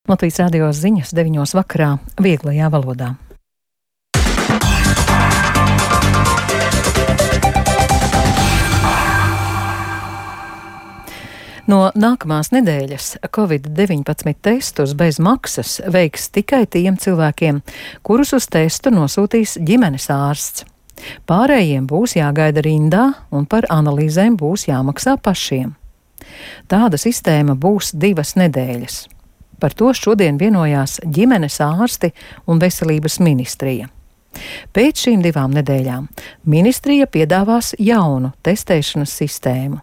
Latvijas radio ziņas 9 vakarā vieglajā valodā. No nākamās nedēļas Covid-19 testus bez maksas veiks tikai tiem cilvēkiem, kurus uz testu nosūtīs ģimenes ārsts. Pārējiem būs jāgaida rindā un par analīzēm būs jāmaksā pašiem. Tāda sistēma būs 2 nedēļas. Par to šodien vienojās ģimenes ārsti un veselības ministrija. Pēc šīm 2 nedēļām ministrija piedāvās jaunu testēšanas sistēmu.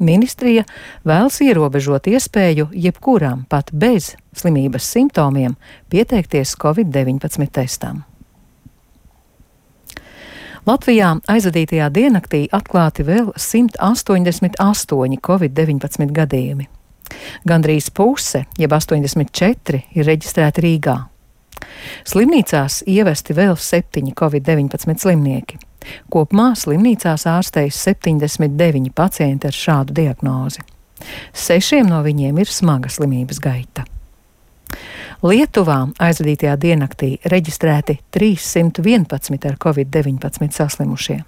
Ministrija vēlas ierobežot iespēju jebkuram pat bez slimības simptomiem pieteikties Covid-19 testam. Latvijā aizvadītajā diennaktī atklāti vēl 188 Covid-19 gadījumi. Gandrīz puse, jeb 84, ir reģistrēti Rīgā. Slimnīcās ievesti vēl 7 Covid-19 slimnieki. Kopumā slimnīcās ārstējas 79 pacienti ar šādu diagnozi. 6 no viņiem ir smaga slimības gaita. Lietuvā aizvadītajā diennaktī reģistrēti 311 ar Covid-19 saslimušie.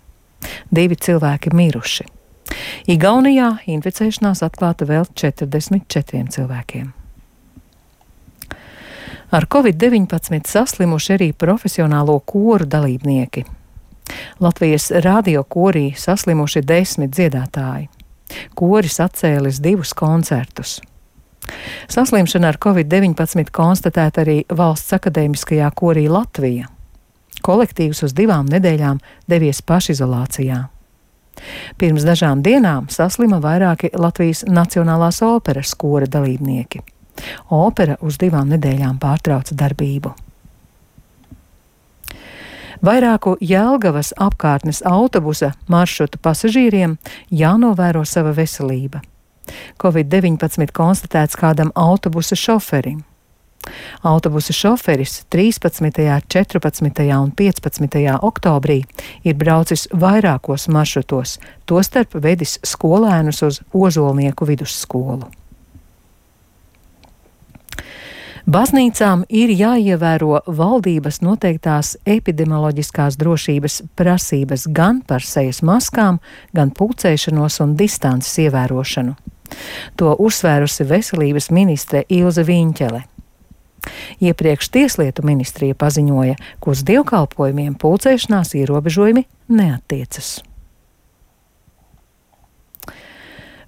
2 cilvēki miruši. Igaunijā inficēšanās atklāta vēl 44 cilvēkiem. Ar Covid-19 saslimuši arī profesionālo koru dalībnieki. Latvijas radio korī saslimuši 10 dziedātāji. Koris atcēlis 2 koncertus. Saslimšana ar Covid-19 konstatēta arī Valsts akadēmiskajā korī Latvija. Kolektīvs uz 2 nedēļām devies pašizolācijā. Pirms dažām dienām saslima vairāki Latvijas Nacionālās operas kora dalībnieki. Opera uz 2 nedēļām pārtrauca darbību. Vairāku Jelgavas apkārtnes autobusa maršrutu pasažīriem jānovēro sava veselība. Covid-19 konstatēts kādam autobusa šoferim. Autobusa šoferis 13., 14. un 15. oktobrī ir braucis vairākos maršrutos, tostarp vedis skolēnus uz Ozolnieku vidusskolu. Baznīcām ir jāievēro valdības noteiktās epidemioloģiskās drošības prasības gan par sejas maskām, gan pulcēšanos un distances ievērošanu. To uzsvērusi veselības ministre Ilze Viņķele. Iepriekš Tieslietu ministrija paziņoja, ka uz dievkalpojumiem pulcēšanās ierobežojumi neattiecas.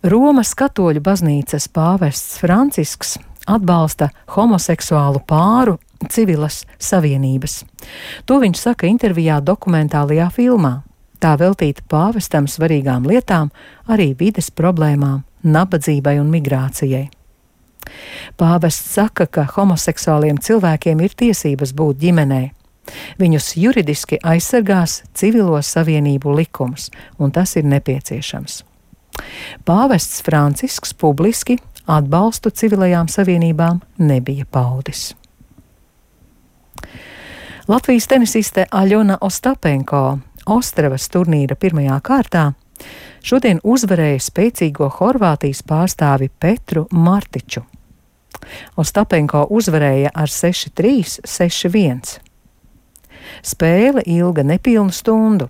Romas katoļu baznīcas pāvests Francisks atbalsta homoseksuālu pāru civilas savienības. To viņš saka intervijā dokumentālajā filmā. Tā veltīta pāvestam svarīgām lietām, arī vides problēmām, nabadzībai un migrācijai. Pāvests saka, ka homoseksuāliem cilvēkiem ir tiesības būt ģimenē. Viņus juridiski aizsargās civilo savienību likums, un tas ir nepieciešams. Pāvests Francisks publiski atbalstu civilajām savienībām nebija paudis. Latvijas tenisiste Aļona Ostapenko Ostravas turnīra 1. kārtā šodien uzvarēja spēcīgo Horvātijas pārstāvi Petru Martiču. Ostapenko uzvarēja ar 6-3, 6-1. Spēle ilga nepilnu stundu.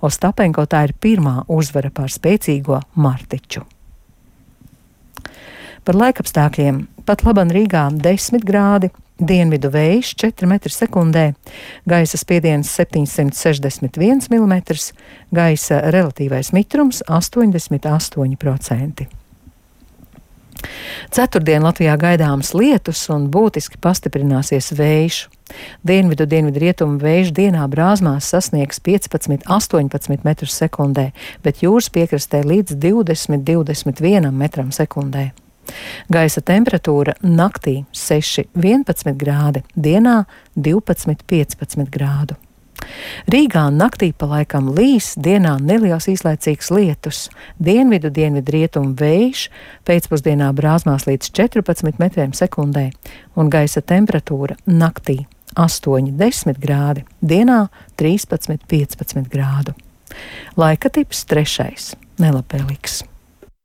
Ostapenko tā ir pirmā uzvara pār spēcīgo Martiču. Par laikapstākļiem pat laban Rīgā 10 grādi, dienvidu vējš 4 m/sekundē, gaisa spiediens 761 mm, gaisa relatīvais mitrums 88%. Ceturtdien Latvijā gaidāms lietus un būtiski pastiprināsies vējš. Dienvidu-dienvidrietumu vējš dienā Brāzmās sasniegs 15–18 m/sekundē, bet jūras piekrastē līdz 20–21 m/sekundē. Gaisa temperatūra naktī 6–11 grādi, dienā 12–15 grādu. Rīgā naktī pa laikam līs, dienā neliels īslaicīgs lietus, dienvidu-dienvidrietumu vējš, pēcpusdienā Brāzmās līdz 14 m/sekundē un gaisa temperatūra naktī 8–10 grādi, dienā 13–15 grādu. Laika tips 3. nelabvēlīgs.